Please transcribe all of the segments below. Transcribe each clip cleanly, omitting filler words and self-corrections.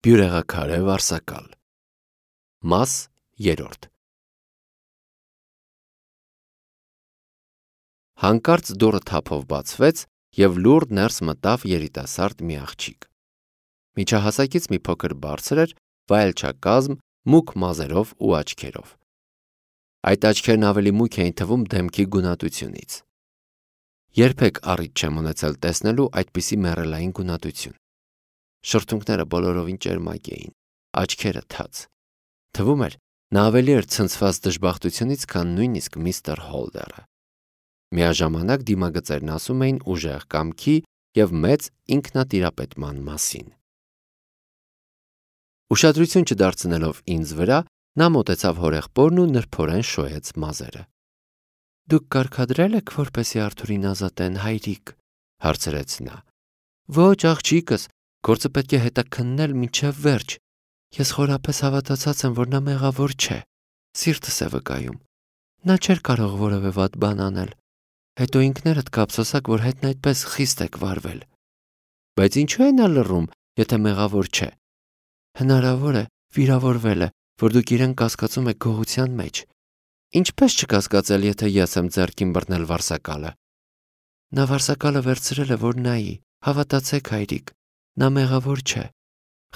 Բյուրեղաքարե վարսակալ։ Մաս 3 Հանկարծ դուռը թափով բացվեց և լուռ ներս մտավ երիտասարդ մի աղջիկ։ Միջահասակից մի փոքր բարձր էր, վայելչակազմ, մուգ մազերով ու աչքերով։ Այդ աչքերն ավելի մուգ էին թվում դեմքի գունատությունից։ Երբեք առիթ չեմ ունեցել տեսնելու այդպիսի մեռելային գունատություն։ Շրթունքները բոլորովին ճերմակ էին, աչքերը թաց։ Թվում էր, նա ավելի էր ցնցված դժբախտությունից, քան նույնիսկ միստր Հոլդերը։ Միաժամանակ դիմագծերն ասում էին ուժեղ կամքի և մեծ ինքնատիրապետման մասին։ Ուշադրություն չդարձնելով ինձ վրա, նա մոտեցավ հորեղբորն ու նրբորեն շոյեց մազերը։ «Դուք կարգադրել եք, որպեսզի Արթուրին ազատեն, հայրիկ», հարցրեց նա։ «Ոչ, աղջիկս, գործը պետք է հետաքննել մինչև վերջ։ Ես խորապես հավատացած եմ, որ նա մեղավոր չէ։ Սիրտս է վկայում։ Նա չէր կարող որևէ վատ բան անել։ Հետո ինքներդ կափսոսաք, որ հետն այդպես խիստ եք վարվել։ Բայց ինչու է նա լռում, եթե մեղավոր չէ։ Հնարավոր է, վիրավորվել է, որ դուք իրեն կասկածում եք գողության մեջ։ Ինչպես չկասկածել, եթե ես եմ ձեռքին բռնել վարսակալը։ Նա վարսակալը վերցրել է, որ նայի, հավատացեք, հայրիկ, նա մեղավոր չէ։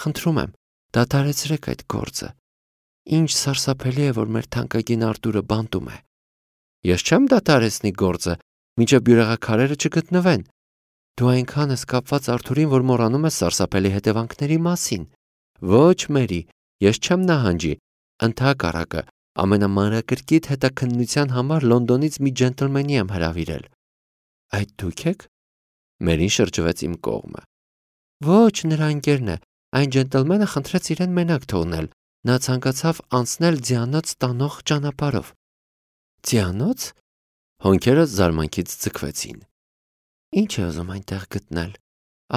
Խնդրում եմ, դադարեցրեք այդ գործը։ Ինչ սարսափելի է, որ մեր թանկագին Արտուրը բանտում է։ Ես չեմ դադարեցնի գործը, մինչև բյուրեղաքարերը չգտնվեն։ Դու այնքան ես կապված Արթուրին, որ մոռանում ես սարսափելի հետևանքների մասին։ Ոչ, Մերի, ես չեմ նահանջի, ընդհակառակը, ամենամանրակրկիտ հետաքննության համար Լոնդոնից մի ջենտլմենի եմ հրավիրել։ Այդ դուք եք։ Մերին շրջվեց իմ կողմը։ Ոչ, նրա ընկերն է, այն ջենտլմենը խնդրեց իրեն մենակ թողնել, նա ցանկացավ անցնել ձիանոց տանող ճանապարհով։ Ձիանոց։ Հոնքերս զարմանքից ձգվեցին։ Ինչ է ուզում այնտեղ գտնել։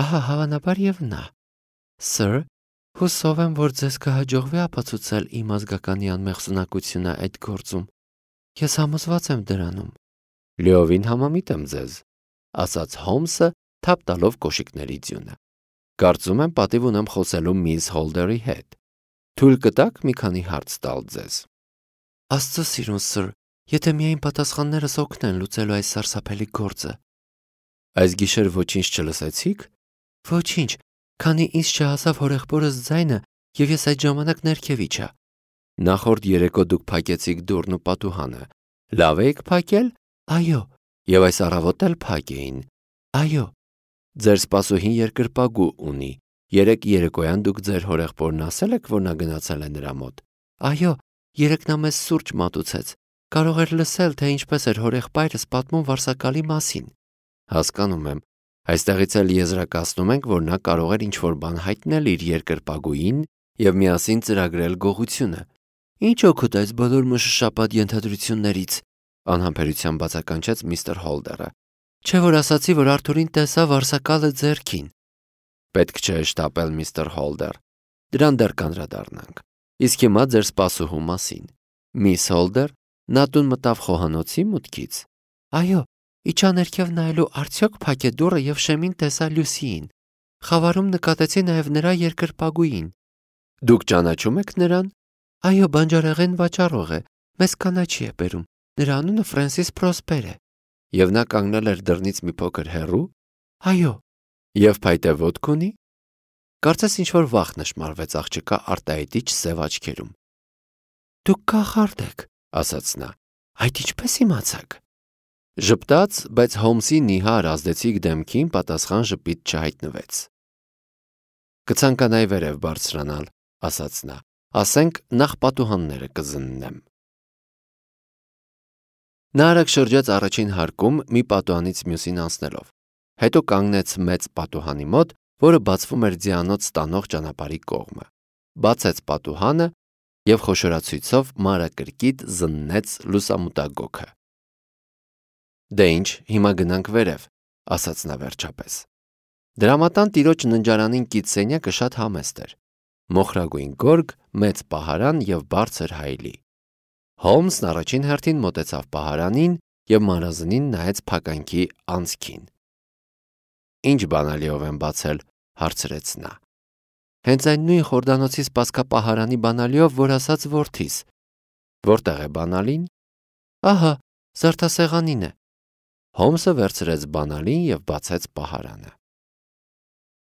Ահա հավանաբար եւ նա։ Սըր, հուսով եմ, որ ձեզ կհաջողվի ապացուցել իմ ազգականի անմեղսունակությունը այդ գործում։ Ես համոզված եմ դրանում։ Լիովին համամիտ եմ ձեզ, ասաց Հոլմսը, թափ տալով կոշիկների ձյունը։ Կարծում եմ պատիվ ունեմ խոսելու միս Հոլդերի հետ։ Թույլ կտաք մի քանի հարց տալ ձեզ։ Աստծո սիրուն, սըր, եթե միայն պատասխաններս օգնեն լուծելու այս սարսափելի գործը։ Այս գիշեր ոչինչ չլսեցիք։ Ոչինչ, քանի ինձ չհասավ հորեղբորս ձայնը, և ես այդ ժամանակ ներքև իջա։ Նախորդ երեկո դուք փակեցիք դուռն ու պատուհանը։ Լավ էիք փակել։ Այո։ Եվ այս առավոտ էլ փակ էին։ Այո։ Ձեր սպասուհին երկրպագու ունի։ Երեկ երեկոյան դուք ձեր հորեղբորն ասել եք, որ նա գնացել է նրա մոտ։ Այո, երեկ նա մեզ սուրճ մատուցեց։ Կարող էր լսել, թե ինչպես էր հորեղբայրս պատմում վարսակալի մասին։ Հասկանում եմ։ Այստեղից էլ եզրակացնում ենք, որ նա կարող էր ինչ-որ բան հայտնել իր երկրպագուին և միասին ծրագրել գողությունը։ Ինչ օգուտ այս բոլոր մշշապատ ենթադրություններից, անհամբերությամբ բացականչեց միստր Հոլդերը։ Չէ՞ որ ասացի, որ Արթուրին տեսա վարսակալը ձեռքին։ Պետք չէ շտապել, միստր Հոլդեր։ Դրան դեռ կանդրադառնանք։ Իսկ հիմա ձեր սպասուհու մասին։ Միս Հոլդեր, նա տուն մտավ խոհանոցի մուտքից։ Այո, իջա ներքև նայելու արդյոք փակ է դուռը և շեմին տեսա Լյուսիին։ Խավարում նկատեցի նաև նրա երկրպագուին։ Դուք ճանաչում եք նրան։ Այո, բանջարեղեն վաճառող է, մեզ կանաչի է բերում։ Նրա անունը Ֆրենսիս Պրոսպեր է։ Եվ նա կանգնել էր դռնից մի փոքր հեռու։ Այո։ Եվ փայտե ոտք ունի։ Կարծես ինչ-որ վախ նշմարվեց աղջկա արտահայտիչ սև աչքերում։ Դուք կախարդ եք, ասաց նա։ Այդ ինչպես իմացաք։ Ժպտաց, բայց Հոլմսի նիհար ազդեցիկ դեմքին պատասխան ժպիտ չհայտնվեց։ Կցանկանայի վերև բարձրանալ, ասաց նա։ Ասենք նախ պատուհանները կզննեմ։ Նա արագ շրջեց առաջին հարկում մի պատուհանից մյուսին անցնելով։ Հետո կանգնեց մեծ պատուհանի մոտ, որը բացվում էր ձիանոց տանող ճանապարհի կողմը։ Բացեց պատուհանը և խոշորացույցով մանրակրկիտ զննեց լուսամուտագոգը։ Դե ինչ, հիմա գնանք վերև, ասաց նա վերջապես։ Դրամատան տիրոջ ննջարանին կից սենյակը շատ համեստ էր։ Մոխրագույն գորգ, մեծ պահարան և բարձր հայելի։ Հոլմսն առաջին հերթին մոտեցավ պահարանին և մանրազնին նայեց փականքի անցքին։ Ինչ բանալիով եմ բացել, հարցրեց նա։ հենց այն նույն խորդանոցի սպասքապահարանի բանալիով, որ ասաց որդիս։ Որտեղ է բանալին։ Ահա, զարդասեղանին է։ Հոմսը վերցրեց բանալին և բացեց պահարանը։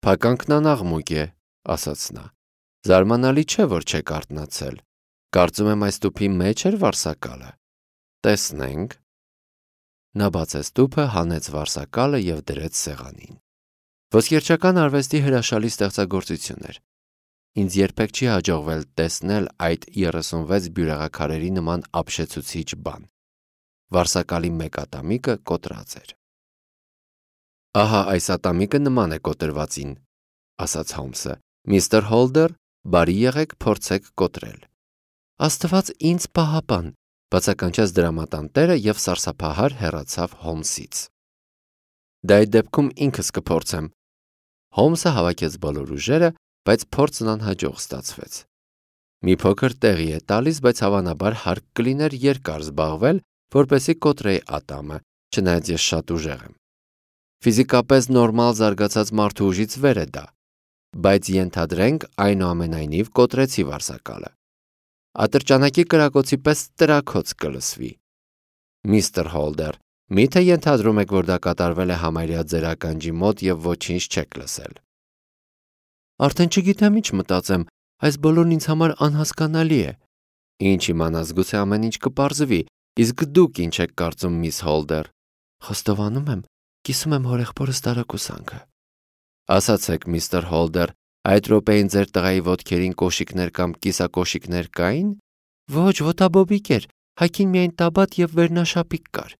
Փականքն անաղմուկ է, ասաց նա։ Զարմանալի չէ, որ չեք արթնացել։ Կարծում եմ այս տուփի մեջ էր վարսակալը։ Տեսնենք։ Նա բացեց տուփը, հանեց վարսակալը և դրեց սեղանին։ Ոսկերչական արվեստի հրաշալի ստեղծագործություն էր։ Ինձ երբեք չի հաջողվել տեսնել այդ 36 բյուրեղաքարերի նման ապշեցուցիչ բան։ Վարսակալի մեկ ատամիկը կոտրած էր։ Ահա այս ատամիկը նման է կոտրվածին, ասաց Հոմսը։ Միստր Հոլդեր, բարի եղեք, փորձեք կոտրել։ Աստված ինձ պահապան, բացականչեց դրամատանտերը և սարսափահար հեռացավ Հոմսից։ Դա այդ դեպքում ինքս կփորձեմ։ Հոմսը հավաքեց բոլոր ուժերը, բայց փորձն անհաջող ստացվեց։ Մի փոքր տեղի է տալիս, բայց հավանաբար հարկ կլիներ երկար զբաղվել, որպեսզի կոտրեի ատամը, չնայած ես շատ ուժեղ եմ։ Ֆիզիկապես նորմալ զարգացած մարդու ուժից վեր է դա, բայց ենթադրենք այնուամենայնիվ կոտրեցի վարսակալը։ Ատրճանակի կրակոցի պես տրաքոց կլսվի։ Միստր Հոլդեր, միթե ենթադրում եք, որ դա կատարվել է համարյա ձեր ականջի մոտ և ոչինչ չեք լսել։ Արդեն չգիտեմ ինչ մտածեմ, այս բոլորն ինձ համար անհասկանալի է։ Ինչ իմանաս, գուցե ամեն ինչ կպարզվի, իսկ դուք ինչ եք կարծում, միս Հոլդեր։ Խոստովանում եմ, կիսում եմ հորեղբորս տարակուսանքը։ Ասացեք, միստր Հոլդեր, այդ րոպեին ձեր տղայի ոտքերին կոշիկներ կամ կիսակոշիկներ կային։ Ոչ, ոտաբոբիկ էր, հագին միայն տաբատ և վերնաշապիկ կար։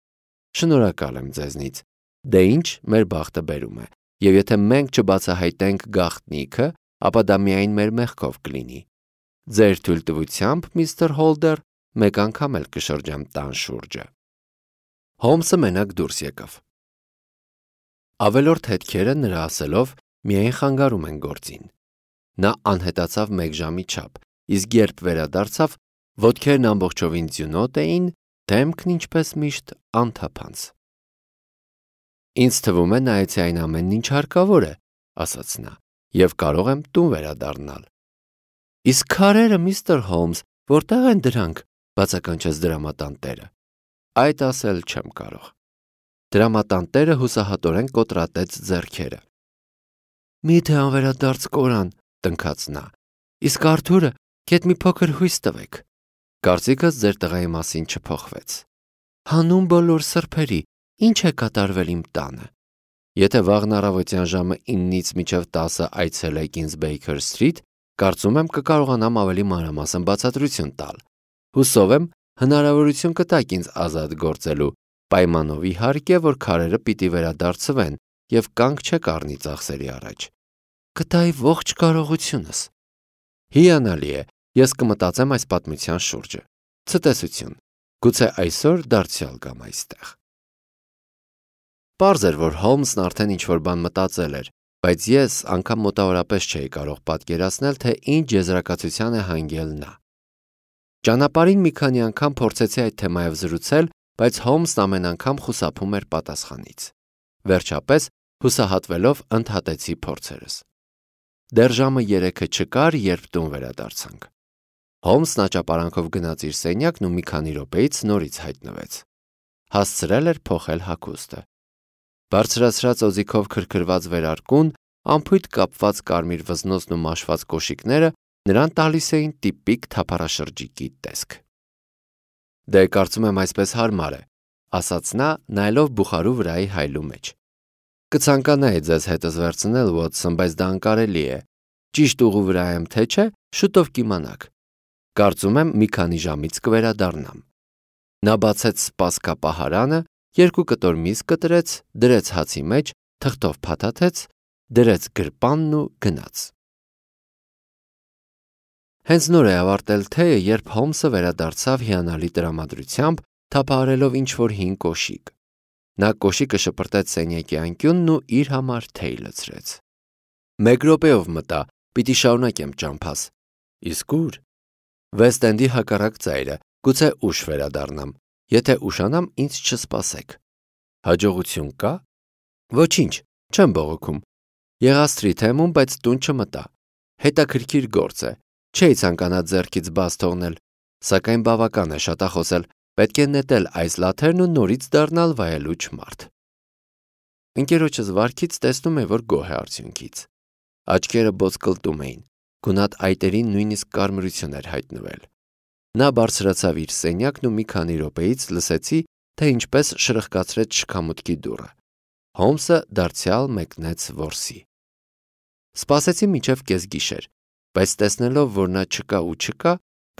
Շնորհակալ եմ ձեզնից։ Դե ինչ, մեր բախտը բերում է, և եթե մենք չբացահայտենք գաղտնիքը, ապա դա միայն մեր մեղքով կլինի։ Ձեր թույլտվությամբ, միստր Հոլդեր, մեկ անգամ էլ կշրջեմ տան շուրջը։ Հոմսը մենակ դուրս եկավ։ Ավելորդ հետքերը նրա ասելով միայն խանգարում են գործին։ Նա անհետացավ մեկ ժամի չափ, իսկ երբ վերադարձավ, ոտքերն ամբողջովին ձյունոտ էին, դեմքն ինչպես միշտ անթափանց։ Ինձ թվում է նայեցի այն ամենն ինչ հարկավոր է, ասաց նա, և կարող եմ տուն վերադառնալ։ Իսկ քարերը, միստր Հոմս, որտեղ են դրանք, բացականչեց դրամատանտերը։ Այդ ասել չեմ կարող։ Դրամատանտերը հուսահատորեն կոտրատեց ձեռքերը։ Միթե անվերադարձ կորան, տնքաց նա։ Իսկ Արթուրը, գեթ մի փոքր հույս տվեք։ Կարծիքս ձեր տղայի մասին չփոխվեց։ Հանուն բոլոր սրբերի, ինչ է կատարվել իմ տանը։ Եթե վաղն առավոտյան ժամը 9-ից մինչև 10 այցելեք ինձ Baker Street, կարծում եմ կկարողանամ ավելի մանրամասն բացատրություն տալ։ Հուսով եմ, հնարավորություն կտաք ինձ ազատ գործելու, պայմանով իհարկե, որ քարերը պիտի վերադարձվեն և կանգ չեք առնի ծախսերի առաջ։ Կտայի ողջ կարողությունս։ Հիանալի է, ես կմտածեմ այս պատմության շուրջը։ Ցտեսություն, գուցե այսօր դարձյալ գամ այստեղ։ Պարզ էր, որ Հոլմսն արդեն ինչ-որ բան մտածել էր, բայց ես անգամ մոտավորապես չէի կարող պատկերացնել, թե ինչ եզրակացության է հանգել նա։ Ճանապարհին մի քանի անգամ փորձեցի այդ թեմայով զրուցել, բայց Հոլմսն ամեն անգամ խուսափում էր պատասխանից։ Վերջապես, հուսահատվելով, ընդհատեցի փորձերս։ Դեռ ժամը 3-ը չկար, երբ տուն վերադարձանք։ Հոլմսն աճապարանքով գնաց իր սենյակն ու մի քանի րոպեից նորից հայտնվեց։ Հասցրել էր փոխել հագուստը։ Բարձրացրած օձիքով քրքրված վերարկուն, անփույթ կապված կարմիր վզնոցն ու մաշված կոշիկները նրան տալիս էին տիպիկ թափառաշրջիկի տեսք։ Դե կարծում եմ այսպես հարմար է, ասաց նա, նայելով բուխարու վրայի հայլու մեջ։ Կցանկանայի ձեզ հետս վերցնել, Ուոտսոն, բայց դա անկարելի է։ Ճիշտ ուղու վրա եմ, թե չէ, շուտով կիմանաք։ Կարծում եմ մի քանի ժամից կվերադառնամ։ Նա բացեց սպասքապահարանը, 2 կտոր միս կտրեց, դրեց հացի մեջ, թղթով փաթաթեց, դրեց գրպանն ու գնաց։ Հենց նոր է ավարտել թեյը, երբ Հոլմսը վերադարձավ հիանալի տրամադրությամբ, թափահարելով ինչ-որ հին կոշիկ։ Նա կոշիկը շպրտեց սենյակի անկյունն ու իր համար թեյ լցրեց։ Մեկ րոպեով մտա, պիտի շարունակեմ ճամփաս։ Իսկ ուր։ Վեստ-Էնդի հակառակ ծայրը, գուցե ուշ վերադառնամ։ Եթե ուշանամ, ինձ չսպասեք։ Հաջողություն կա։ Ոչինչ, չեմ բողոքում։ Եղա Սթրիթ Հեմում, բայց տուն չմտա։ Հետաքրքիր գործ է։ Չէի ցանկանա ձեռքից բաց թողնել, սակայն բավական է շատախոսել, պետք է նետել այս լաթերն ու նորից դառնալ վայելուչ մարդ։ Ընկերոջս վարքից տեսնում է, որ գոհ է արդյունքից։ Աչքերը բոցկլտում էին, գունատ այտերին նույնիսկ կարմրություն էր հայտնվել։ Նա բարձրացավ իր սենյակն ու մի քանի րոպեից լսեցի, թե ինչպես շրխկացրեց շքամուտքի դուռը։ Հոլմսը դարձյալ մեկնեց որսի։ Սպասեցի մինչև կեսգիշեր, բայց տեսնելով, որ նա չկա ու չկա,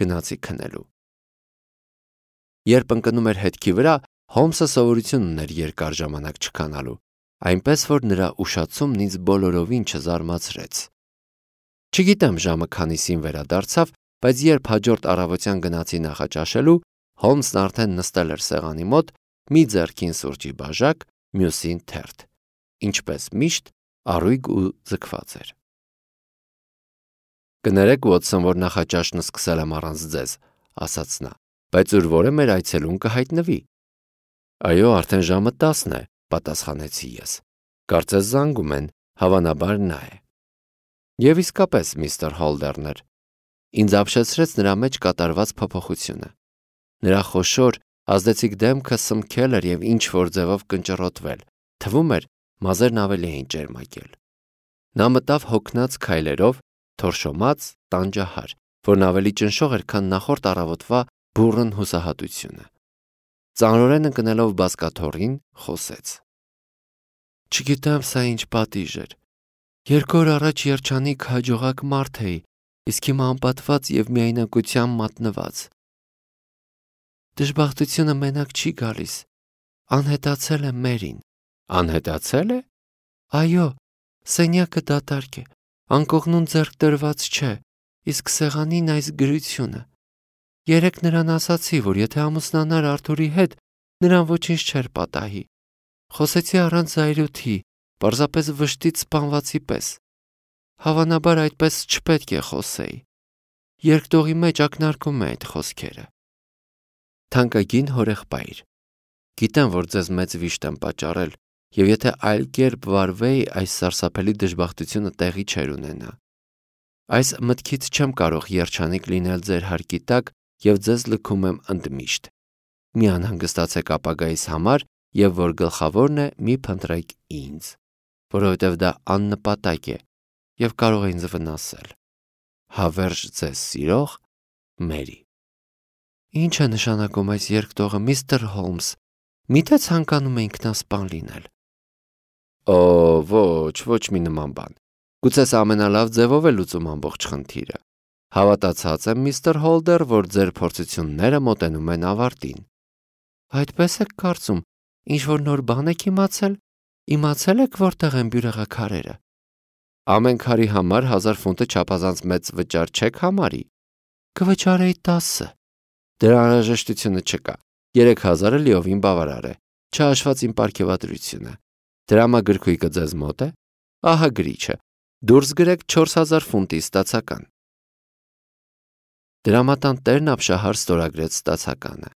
գնացի քնելու։ Երբ ընկնում էր հետքի վրա, Հոլմսը սովորություն ուներ երկար ժամանակ չքանալու, այնպես որ նրա ուշացումն ինձ բոլորովին չզարմացրեց։ Չգիտեմ ժամը քանիսին վերադարձավ, բայց երբ հաջորդ առավոտյան գնացի նախաճաշելու, Հոլմսն արդեն նստել էր սեղանի մոտ, մի ձեռքին սուրճի բաժակ, մյուսին թերթ։ Ինչպես միշտ, առույգ ու ձգված էր։ Կներեք, Ուոտսոն, որ նախաճաշն սկսել եմ առանց ձեզ, ասաց նա, բայց ուր որ է մեր այցելուն կհայտնվի։ Այո, արդեն ժամը 10 է, պատասխանեցի ես։ Կարծես զանգում են, հավանաբար նա է։ Եվ իսկապես միստր Հոլդերն էր։ Ինձ ապշեցրեց նրա մեջ կատարված փոփոխությունը։ Նրա խոշոր, ազդեցիկ դեմքը սմքել էր և ինչ-որ ձևով կնճռոտվել, թվում էր մազերն ավելի էին ճերմակել։ Նա մտավ հոգնած քայլերով, թորշոմած, տանջահար, որն ավելի ճնշող էր, քան նախորդ առավոտվա բուռն հուսահատությունը։ Ծանրորեն ընկնելով բազկաթոռին, խոսեց. Չգիտեմ սա ինչ պատիժ էր։ 2 օր առաջ երջանիկ հաջողակ մարդ էի, իսկ հիմա անպատված և միայնակության մատնված։ Դժբախտությունը մենակ չի գալիս, անհետացել է Մերին։ Անհետացել է։ Այո, սենյակը դատարկ է, անկողնուն ձեռք դրված չէ, իսկ սեղանին այս գրությունը։ Երեկ նրան ասացի, որ եթե ամուսնանար Արթուրի հետ, նրան ոչինչ չէր պատահի։ Խոսեցի առանց զայրույթի, պարզապես վշտից սպանվածի պես։ Հավանաբար այդպես չպետք է խոսեի։ Երկտողի մեջ ակնարկում է այդ խոսքերը։ Թանկագին հորեղբայր, գիտեմ, որ ձեզ մեծ վիշտ եմ պատճառել, և եթե այլ կերպ վարվեի, այս սարսափելի դժբախտությունը տեղի չէր ունենա։ Այս մտքից չեմ կարող երջանիկ լինել ձեր հարկի տակ և ձեզ լքում եմ ընդմիշտ։ Մի անհանգստացեք ապագայիս համար և որ գլխավորն է, մի փնտրեք ինձ, որովհետև դա աննպատակ է և կարող է ինձ վնասել։ Հավերժ ձեզ սիրող Մերի։ Ինչ է նշանակում այս երկտողը, միստր Հոլմս, միթե ցանկանում է ինքնասպան լինել։ Օ, ոչ մի նման բան։ Գուցե սա ամենալավ ձևով է լուծում ամբողջ խնդիրը։ Հավատացած եմ, միստր Հոլդեր, որ ձեր փորձությունները մոտենում են ավարտին։ Այդպես եք կարծում, ինչ-որ նոր բան եք իմացել։ Իմացել եք որտեղ են բյուրեղաքարերը։ Ամեն քարի համար 1000 ֆունտը չափազանց մեծ վճար չեք համարի։ Կվճարեի 10։ Դրա անհրաժեշտությունը չկա։ 3000-ը լիովին բավարար է, չհաշված իմ պարգևատրությունը։ Դրամագրքույկը ձեզ մոտ է։ Ահա գրիչը։ Դուրս գրեք 4000 ֆունտի ստացական։ Դրամատան տերն ապշահար ստորագրեց ստացականը։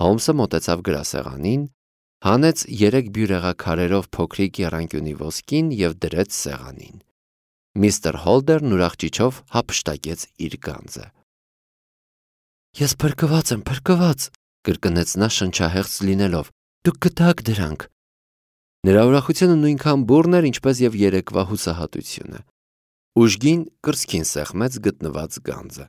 Հոլմսը մոտեցավ գրասեղանին, հանեց 3 բյուրեղաքարերով փոքրիկ եռանկյունի ոսկին և դրեց սեղանին։ Միստր Հոլդերն ուրախ ճիչով հափշտակեց իր գանձը։ Ես փրկված եմ, կրկնեց նա շնչահեղձ լինելով։ Դուք գտաք դրանք։ Նրա ուրախությունը նույնքան բուռն էր, ինչպես և երեկվա հուսահատությունը։ Ուժգին կրծքին սեղմեց գտնված գանձը։